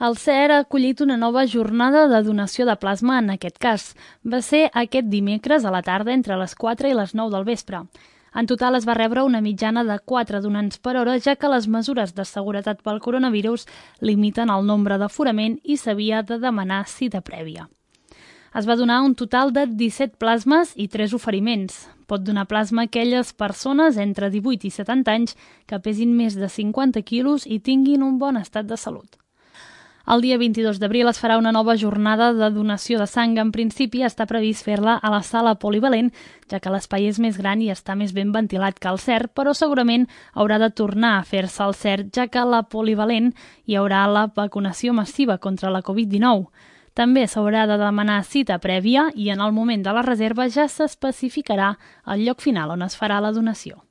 El CER ha acollit una nova jornada de donació de plasma en aquest cas. Va ser aquest dimecres a la tarda entre les 4 i les 9 del vespre. En total es va rebre una mitjana de 4 donants per hora, ja que les mesures de seguretat pel coronavirus limiten el nombre d'aforament i s'havia de demanar cita prèvia. Es va donar un total de 17 plasmes i 3 oferiments. Pot donar plasma a aquelles persones entre 18 i 70 anys que pesin més de 50 quilos i tinguin un bon estat de salut. El dia 22 d'abril es farà una nova jornada de donació de sang. En principi està previst fer-la a la sala polivalent, ja que l'espai és més gran i està més ben ventilat que el CER, però segurament haurà de tornar a fer-se al CER, ja que a la polivalent hi haurà la vacunació massiva contra la Covid-19. També s'haurà de demanar cita prèvia i en el moment de la reserva ja s'especificarà el lloc final on es farà la donació.